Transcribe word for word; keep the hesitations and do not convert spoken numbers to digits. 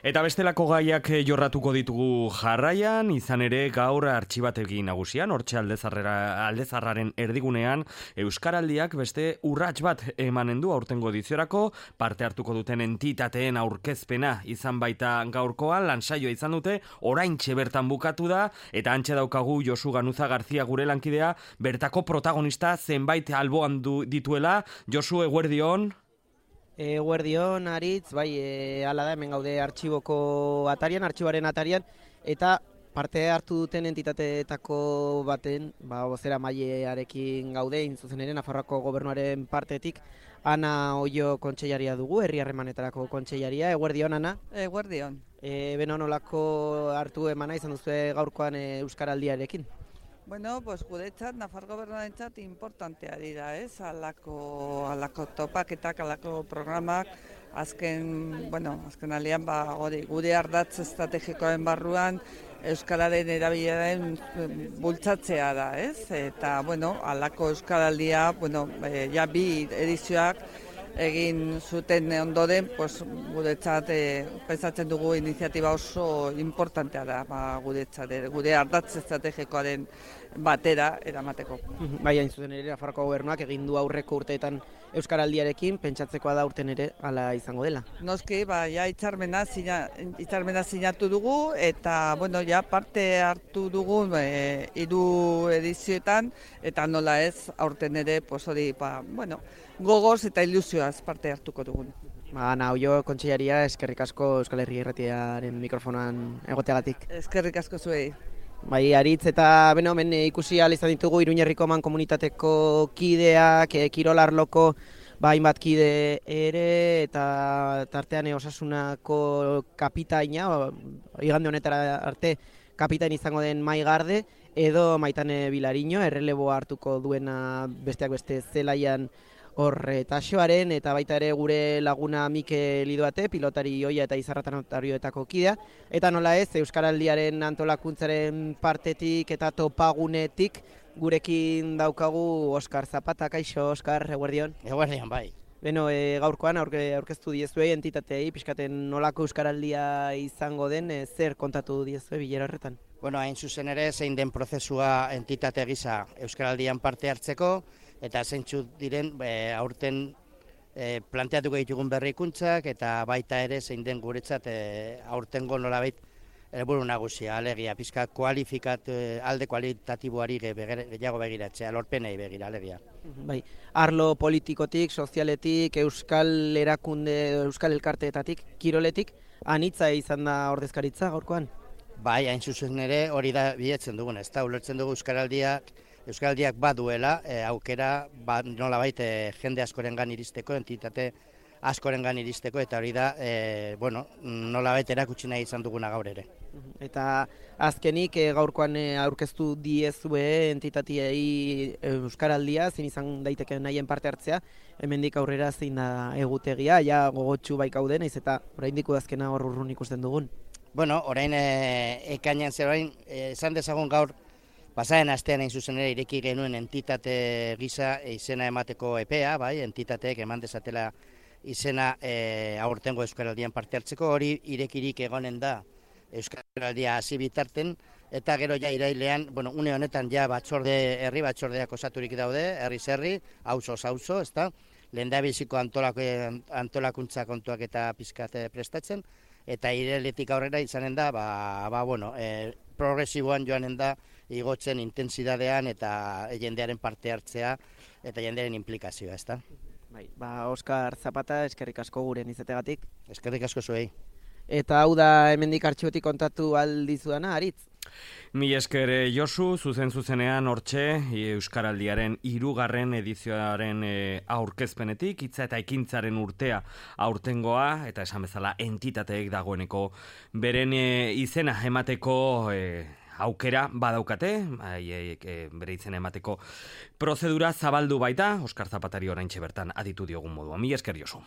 Eta bestelako gaiak jorratuko ditugu jarraian, izan ere gaur artxibategi nagusian, hortxe aldezarrera, aldezarraren erdigunean, Euskaraldiak beste urrats bat emanen du aurtengo ediziorako, parte hartuko duten entitateen aurkezpena izan baita gaurkoan, lansaioa izan dute, oraintxe bertan bukatu da, eta antxe daukagu Josu Ganuza Garzia gure lankidea, bertako protagonista zenbait alboan du dituela. Josu, eguerdion. Eguerdion, Aritz, bai, e, ala da, hemen gaude artxiboko atarian, artxibaren atarian, eta parte hartu duten entitateetako baten, ba, bozera mailearekin gaude, zuzen ere, Nafarroako gobernuaren partetik, Ana Oio kontseilaria dugu, herri harremanetarako kontseilaria. Eguerdion, Ana? Eguerdion. E, beno nolako hartu emana izan duzu gaurkoan e, Euskaraldiarekin? Bueno, pues guretzat, Nafar gobernuarentzat importantea dira, ez? Alako, alako topaketak, alako programak, azken, bueno, azken alian, ba, hori, gure ardatz estrategikoen barruan, Euskararen erabileraren bultzatzea da, ez? Eta, bueno, alako Euskaraldia, bueno, e, ja bi edizioak egin zuten ondoren, pues, guretzat e, pensatzen dugu iniziatiba oso importantea da, ba, guretzat, gure ardatz estrategikoaren batera eramateko. Bai, hain zuzen ere, Nafarroako gobernuak egin du aurreko urteetan Euskaraldiarekin, pentsatzekoa da urten ere hala izango dela. Noski, ba, ja hitzarmena sina, hitzarmena sinatu dugu, eta, bueno, ja parte hartu dugu e, hiru edizioetan, eta nola ez, aurten ere, pues hori, ba, bueno, gogoz eta ilusioaz parte hartuko dugun. Ba, Ana Oio kontseilaria, eskerrik asko Euskal Herria Irratiaren mikrofonan egoteagatik. Eskerrik asko zuei. Bai, Aritz, eta beno, hemen ikusi ahal izan ditugu Iruñerriko man komunitateko kideak, e, kirolarloko ba, hainbat kide ere, eta tartean e, Osasunako kapitaina, igande honetara arte kapitain izango den Maigarde, edo Maitane Bilariño, erreleboa hartuko duena besteak beste zelaian horre taxoaren, eta baita ere gure laguna Mikel Idoate, pilotari oia eta izarratan notarioetako kidea, eta nola ez, Euskaraldiaren antolakuntzaren partetik eta topagunetik gurekin daukagu Oskar Zapata. Kaixo, Oskar, eguerdion? Eguerdion, bai. Beno, e, gaurkoan aurke, aurkeztu diezuei entitatei, pixkaten nolako Euskaraldia izango den, e, zer kontatu diezue bilera horretan? Bueno, hain zuzen ere, zein den prozesua entitate gisa Euskaraldian parte hartzeko, eta zeintzu diren e, aurten e, planteatuko ditugun berrikuntzak, eta baita ere zein den guretzat e, aurtengo nolabait helburu nagusia, alegia, pizka kualifikat, e, alde kualitatiboari gehiago begiratzea, lorpenei begira, alegia. Bai, arlo politikotik, sozialetik, euskal erakunde, euskal elkarteetatik, kiroletik, anitza izan da ordezkaritza gaurkoan? Bai, hain zuzen ere hori da bilatzen dugun, ez da, ulertzen dugu Euskaraldiak, Euskaraldiak baduela, e, aukera ba, nolabait e, jende askorengan iristeko, entitate askorengan iristeko, eta hori da, e, bueno, nolabait erakutsi nahi izan duguna gaur ere. Eta azkenik e, gaurkoan e, aurkeztu diezue entitatiei Euskaraldia, zein izan daiteke nahien parte hartzea, hemendik aurrera zein da egutegia, ja gogotsu baikaude, naiz eta oraindik udazkena hor urrun ikusten dugun. Bueno, orain e, ekainean zer orain, e, esan dezagun gaur, pasaren astean hain zuzen ere ireki genuen entitate gisa izena emateko epea, bai, entitateek eman dezatela izena e, aurtengo Euskaraldian parte hartzeko, hori irekirik egonen da Euskaraldia hasi bitarten, eta gero ja irailean, bueno, une honetan ja batzorde, herri batzordeak osaturik daude, herriz herri, auzoz auzo, ezta? Lehendabiziko antolako, antolakuntza kontuak eta pizkate prestatzen, eta irailetik aurrera izanen da, ba, ba bueno, e, progresiboan joanen da, igotzen intentsidadean eta jendearen parte hartzea eta jendearen implikazioa, ezta? Bai, ba, Oskar Zapata, eskerrik asko guren izategatik. Eskerrik asko zuei. Eta hau da hemendik artxibotik kontatu aldizudana, Aritz? Mi esker Josu, zuzen zuzenean hortxe, Euskaraldiaren hirugarren edizioaren e, aurkezpenetik, hitza eta ekintzaren urtea aurtengoa, eta esan bezala entitateek dagoeneko beren e, izena emateko e, aukera badaukate, e, e, bere izena emateko prozedura zabaldu baita, Oskar Zapatari oraintxe bertan aditu diogun modua. Mi esker Josu.